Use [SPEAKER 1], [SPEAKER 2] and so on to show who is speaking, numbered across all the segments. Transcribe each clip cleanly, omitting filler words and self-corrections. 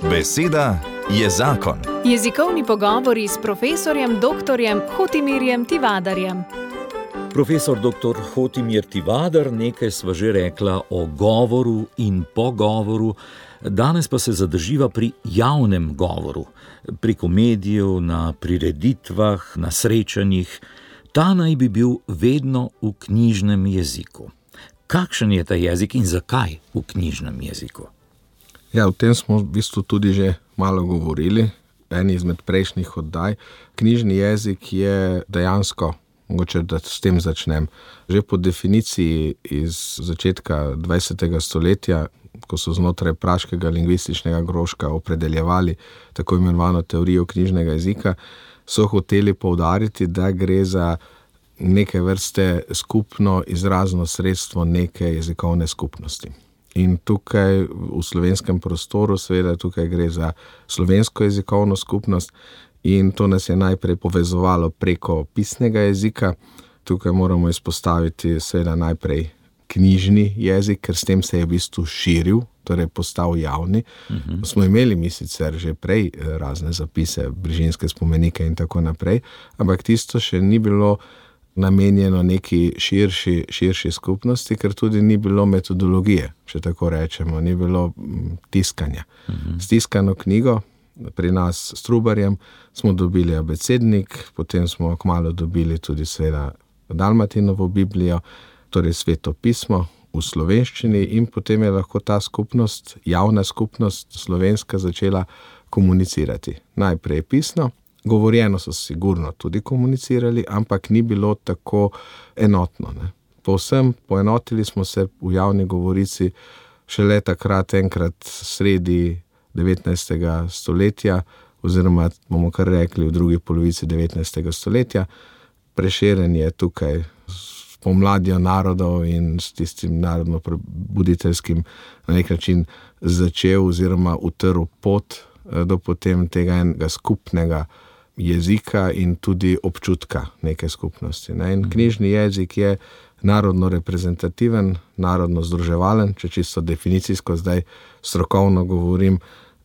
[SPEAKER 1] Beseda je zakon.
[SPEAKER 2] Jezikovni pogovori s profesorjem dr. Hotimirjem Tivadarjem.
[SPEAKER 3] Profesor dr. Hotimir Tivadar, nekaj sva že rekla o govoru in pogovoru, danes pa se zadrživa pri javnem govoru, preko medijev, na prireditvah, na srečanjih. Ta naj bi bil vedno v knjižnem jeziku. Kakšen je ta jezik in zakaj v knjižnem jeziku?
[SPEAKER 4] Ja, o tem smo v bistvu tudi že malo govorili, eni izmed prejšnjih oddaj. Knjižni jezik je dejansko, mogoče da s tem začnem, že po definiciji iz začetka 20. stoletja, ko so znotraj praškega lingvističnega krožka opredeljevali tako imenovano teorijo knjižnega jezika, so hoteli poudariti, da gre za neke vrste skupno izrazno sredstvo neke jezikovne skupnosti. In tukaj v slovenskem prostoru, seveda tukaj gre za slovensko jezikovno skupnost in to nas je najprej povezovalo preko pisnega jezika. Tukaj moramo izpostaviti seveda najprej knjižni jezik, ker s tem se je v bistvu širil, torej postal javni. Smo imeli mi sicer že prej razne zapise, brižinske spomenike in tako naprej, ampak tisto še ni bilo namenjeno neki širši skupnosti, ker tudi ni bilo metodologije, če tako rečemo, ni bilo tiskanja. S tiskano knjigo, pri nas s Trubarjem, smo dobili abecednik, potem smo kmalu dobili tudi seveda Dalmatinovo Biblijo, torej Sveto pismo v slovenščini in potem je lahko ta skupnost, javna skupnost slovenska začela komunicirati. Najprej pisno, govorjeno so sigurno tudi komunicirali, ampak ni bilo tako enotno. Povsem poenotili smo se v javni govorici šele takrat enkrat sredi 19. stoletja, oziroma bomo kar rekli v drugi polovici 19. stoletja. Prešeren je tukaj s pomladjo narodov in s tistim narodno-prebuditeljskim na nek način začel oziroma utrl pot do potem tega enega skupnega jezika in tudi občutka neke skupnosti. In knjižni jezik je narodno reprezentativen, narodno združevalen, če čisto definicijsko zdaj strokovno govorim,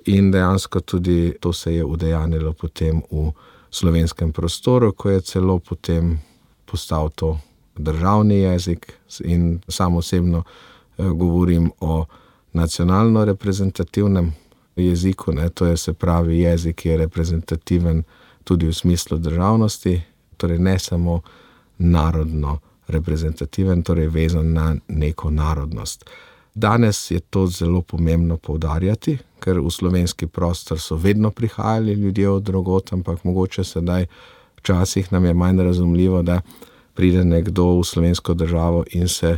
[SPEAKER 4] in dejansko tudi to se je udejanilo potem v slovenskem prostoru, ko je celo potem postal to državni jezik in sam osebno govorim o nacionalno reprezentativnem jeziku, to je se pravi jezik, ki je reprezentativen tudi v smislu državnosti, torej ne samo narodno reprezentativen, torej vezan na neko narodnost. Danes je to zelo pomembno poudarjati, ker v slovenski prostor so vedno prihajali ljudje od drugod, ampak mogoče sedaj včasih nam je manj razumljivo, da pride nekdo v slovensko državo in se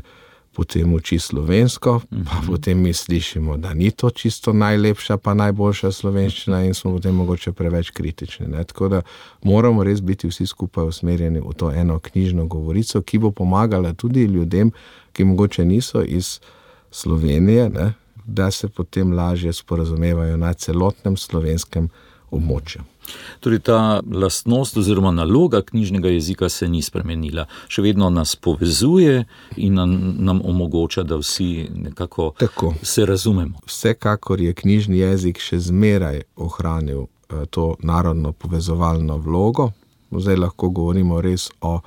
[SPEAKER 4] potem uči slovensko, pa potem mi slišimo, da ni to čisto najlepša pa najboljša slovenščina in smo potem mogoče preveč kritični. Tako da moramo res biti vsi skupaj usmerjeni v to eno knjižno govorico, ki bo pomagala tudi ljudem, ki mogoče niso iz Slovenije, da se potem lažje sporazumevajo na celotnem slovenskem območju.
[SPEAKER 3] Torej ta lastnost oziroma naloga knjižnega jezika se ni spremenila. Še vedno nas povezuje in nam omogoča, da vsi nekako se razumemo.
[SPEAKER 4] Vsekakor je knjižni jezik še zmeraj ohranil to narodno povezovalno vlogo. Zdaj lahko govorimo res o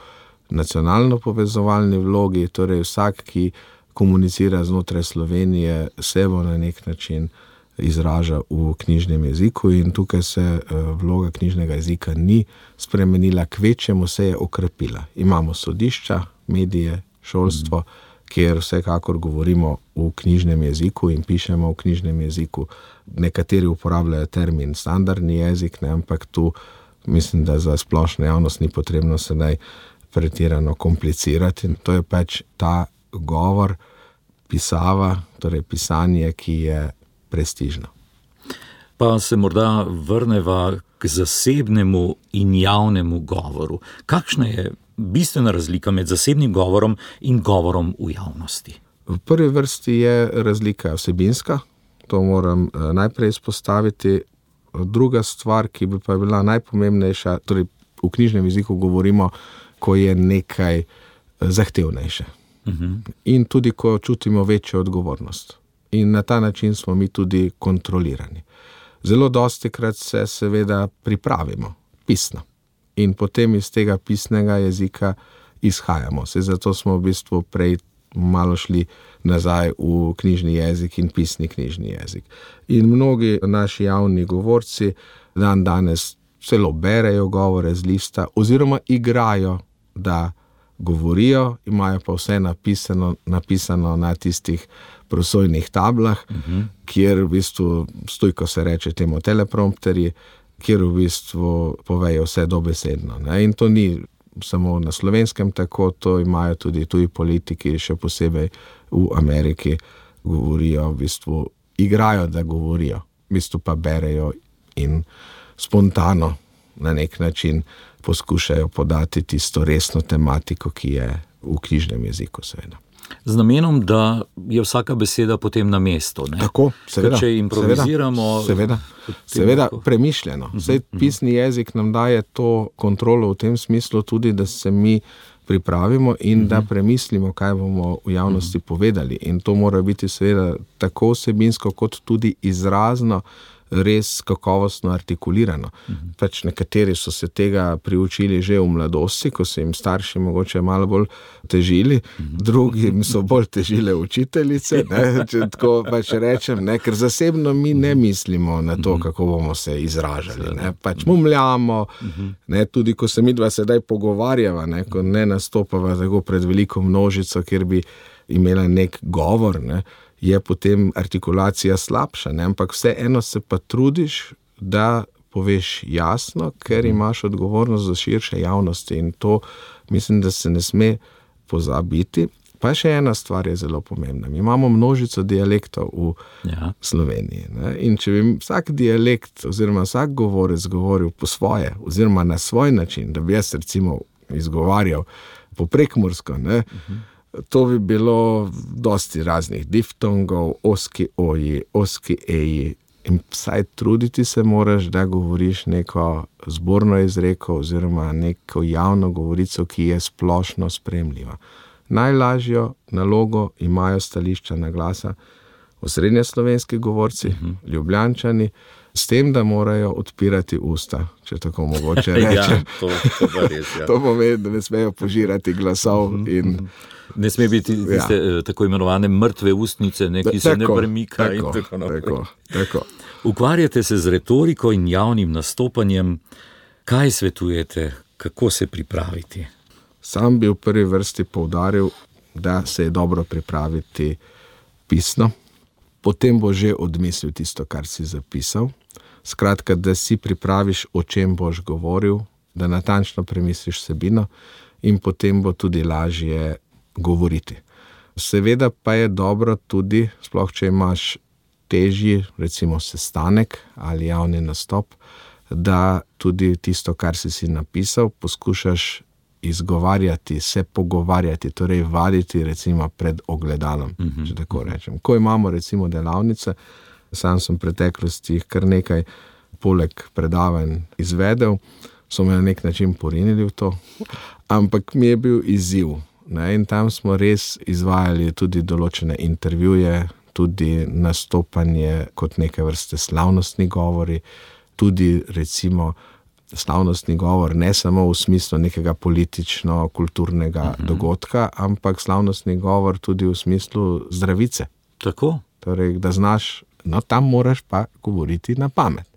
[SPEAKER 4] nacionalno povezovalni vlogi, torej vsak, ki komunicira znotraj Slovenije, se bo na nek način izraža v knjižnem jeziku in tukaj se vloga knjižnega jezika ni spremenila, kvečjemu se je okrepila. Imamo sodišča, medije, šolstvo, kjer vsekakor govorimo v knjižnem jeziku in pišemo v knjižnem jeziku. Nekateri uporabljajo termin standardni jezik, ampak tu mislim, da za splošno javnost ni potrebno sedaj pretirano komplicirati. To je pač ta govor, pisava, torej pisanje, ki je prestižno.
[SPEAKER 3] Pa se morda vrneva k zasebnemu in javnemu govoru. Kakšna je bistvena razlika med zasebnim govorom in govorom v javnosti?
[SPEAKER 4] V prvi vrsti je razlika vsebinska, to moram najprej izpostaviti. Druga stvar, ki bi pa bila najpomembnejša, torej v knjižnem jeziku govorimo, ko je nekaj zahtevnejše. In tudi, ko čutimo večjo odgovornost. In na ta način smo mi tudi kontrolirani. Zelo dostikrat se seveda pripravimo pisno in potem iz tega pisnega jezika izhajamo. Zato smo v bistvu prej malo šli nazaj v knjižni jezik in pisni knjižni jezik. In mnogi naši javni govorci danes celo berejo govore z lista oziroma igrajo, da govorijo, imajo pa vse napisano na tistih prosojnih tablah, kjer v bistvu stoji, ko se reče temu teleprompterji, kjer v bistvu povejo vse dobesedno. In to ni samo na Slovenskem tako, to imajo tudi tuji politiki, še posebej v Ameriki, govorijo, v bistvu igrajo, da govorijo, v bistvu pa berejo in spontano na nek način poskušajo podati tisto resno tematiko, ki je v knjižnem jeziku seveda.
[SPEAKER 3] Z namenom, da je vsaka beseda potem na mestu. Ne?
[SPEAKER 4] Tako, seveda.
[SPEAKER 3] Če improviziramo...
[SPEAKER 4] Seveda, premišljeno. Pisni jezik nam daje to kontrolo v tem smislu tudi, da se mi pripravimo in da premislimo, kaj bomo v javnosti povedali. In to mora biti seveda tako vsebinsko, kot tudi izrazno res kakovostno artikulirano. Nekateri so se tega priučili že v mladosti, ko so jim starši mogoče malo bolj težili, drugi so bolj težile učiteljice, če tako rečem, ker zasebno mi ne mislimo na to, kako bomo se izražali. Mumljamo, tudi ko se midva sedaj pogovarjava, ko ne nastopava tako pred veliko množico, kjer bi imela nek govor, je potem artikulacija slabša, ampak vseeno se pa trudiš, da poveš jasno, ker imaš odgovornost za širše javnosti in to mislim, da se ne sme pozabiti. Pa še ena stvar je zelo pomembna. Mi imamo množico dialektov v Sloveniji. In če bi vsak dialekt oziroma vsak govorec govoril po svoje oziroma na svoj način, da bi jaz recimo izgovarjal po prekmursko, to bi bilo dosti raznih diftongov, oski oji, oski eji. In vsaj truditi se moraš, da govoriš neko zborno izreko oziroma neko javno govorico, ki je splošno sprejemljiva. Najlažjo nalogo imajo stališča na glasa osrednjeslovenski govorci, Ljubljančani, s tem, da morajo odpirati usta, če tako mogoče rečem.
[SPEAKER 3] To pa res,
[SPEAKER 4] To pomeni, da ne smejo požirati glasov in...
[SPEAKER 3] Ne sme biti tiste tako imenovane mrtve ustnice, ki se ne premika in tako naprej.
[SPEAKER 4] Tako.
[SPEAKER 3] Ukvarjate se z retoriko in javnim nastopanjem. Kaj svetujete, kako se pripraviti?
[SPEAKER 4] Sam bi v prvi vrsti poudaril, da se je dobro pripraviti pisno, potem bo že odmislil tisto, kar si zapisal. Skratka, da si pripraviš, o čem boš govoril, da natančno premisliš vsebino in potem bo tudi lažje govoriti. Seveda pa je dobro tudi, sploh če imaš težji, recimo sestanek ali javni nastop, da tudi tisto, kar si napisal, poskušaš izgovarjati, se pogovarjati, torej vaditi recimo pred ogledalom, če tako rečem. Ko imamo recimo delavnice, sam sem v preteklosti kar nekaj poleg predavanj izvedel, so me na nek način porinili v to, ampak mi je bil izziv. In tam smo res izvajali tudi določene intervjuje, tudi nastopanje kot neke vrste slavnostni govori, tudi recimo slavnostni govor ne samo v smislu nekega politično-kulturnega dogodka, ampak slavnostni govor tudi v smislu zdravice.
[SPEAKER 3] Tako?
[SPEAKER 4] Torej, da znaš, tam moraš pa govoriti na pamet.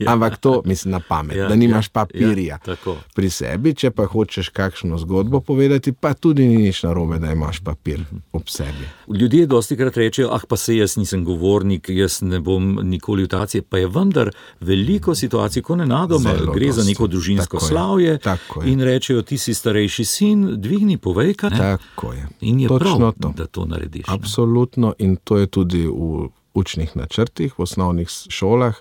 [SPEAKER 4] Ampak to mislim na pamet, da nimaš papirja pri sebi, če pa hočeš kakšno zgodbo povedati, pa tudi ni nič narobe, da imaš papir ob sebi.
[SPEAKER 3] Ljudje dostikrat rečejo, pa se jaz nisem govornik, jaz ne bom nikoli v taci, pa je vendar veliko situacij, ko nenadoma gre za neko družinsko slavje in rečejo, ti si starejši sin, dvigni, povej, kaj.
[SPEAKER 4] Tako je.
[SPEAKER 3] In je prav, da to narediš.
[SPEAKER 4] Absolutno, in to je tudi v učnih načrtih, v osnovnih šolah,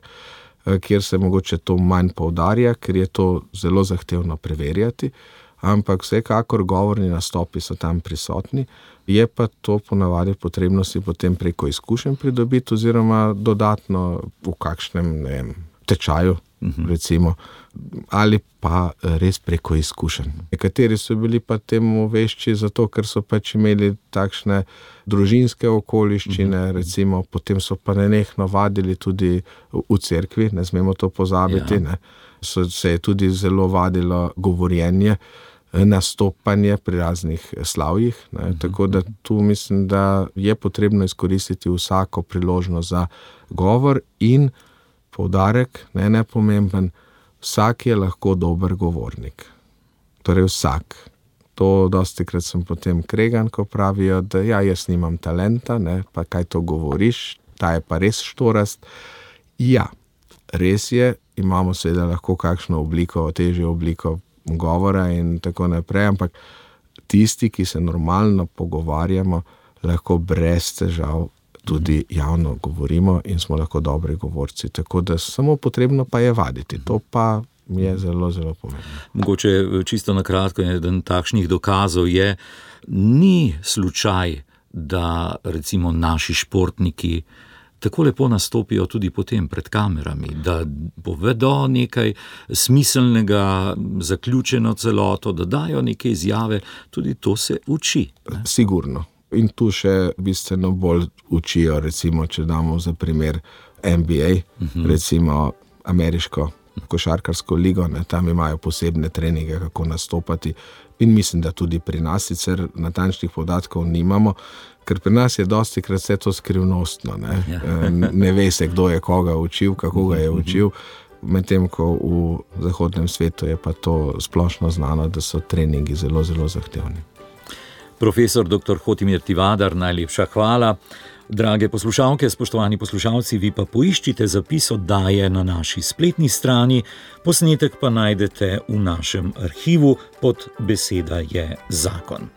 [SPEAKER 4] kjer se mogoče to manj poudarja, ker je to zelo zahtevno preverjati, ampak vsekakor govorni nastopi so tam prisotni, je pa to ponavadi potrebno si potem preko izkušenj pridobiti oziroma dodatno v kakšnem tečaju recimo, ali pa res preko izkušenj. Nekateri so bili pa temu vešči zato, ker so pač imeli takšne družinske okoliščine, recimo, potem so pa nenehno vadili tudi v cerkvi, ne smemo to pozabiti, ne. Se je tudi zelo vadilo govorjenje, nastopanje pri raznih slavjih, ne. Tako da tu mislim, da je potrebno izkoristiti vsako priložnost za govor in poudarek, ne nepomemben, vsak je lahko dober govornik. Torej vsak. To dostikrat sem potem kregan, ko pravijo, da ja, jaz nimam talenta, ne, pa kaj to govoriš, ta je pa res štorast. Ja, res je, imamo seveda lahko kakšno obliko, težjo obliko govora in tako naprej, ampak tisti, ki se normalno pogovarjamo, lahko brez težav tudi javno govorimo in smo lahko dobri govorci. Tako da samo potrebno pa je vaditi. To pa je zelo, zelo pomembno.
[SPEAKER 3] Mogoče čisto na kratko, eden takšnih dokazov je, ni slučaj, da recimo naši športniki tako lepo nastopijo tudi potem pred kamerami, da povedo nekaj smiselnega, zaključeno celoto, da dajo neke izjave, tudi to se uči. Ne?
[SPEAKER 4] Sigurno. In tu še bistveno bolj učijo, recimo, če damo za primer NBA, recimo ameriško košarkarsko ligo, ne, tam imajo posebne treninge, kako nastopati, in mislim, da tudi pri nas, sicer natančnih podatkov nimamo, ker pri nas je dostikrat vse to skrivnostno, ne. Ne ve se, kdo je koga učil, kako ga je učil, medtem ko v zahodnem svetu je pa to splošno znano, da so treningi zelo, zelo zahtevni.
[SPEAKER 3] Profesor dr. Hotimir Tivadar, najlepša hvala. Drage poslušalke, spoštovani poslušalci, vi pa poiščite zapis oddaje na naši spletni strani, posnetek pa najdete v našem arhivu pod Beseda je zakon.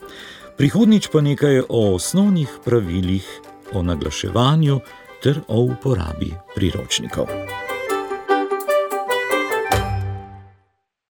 [SPEAKER 3] Prihodnjič pa nekaj o osnovnih pravilih o naglaševanju ter o uporabi priročnikov.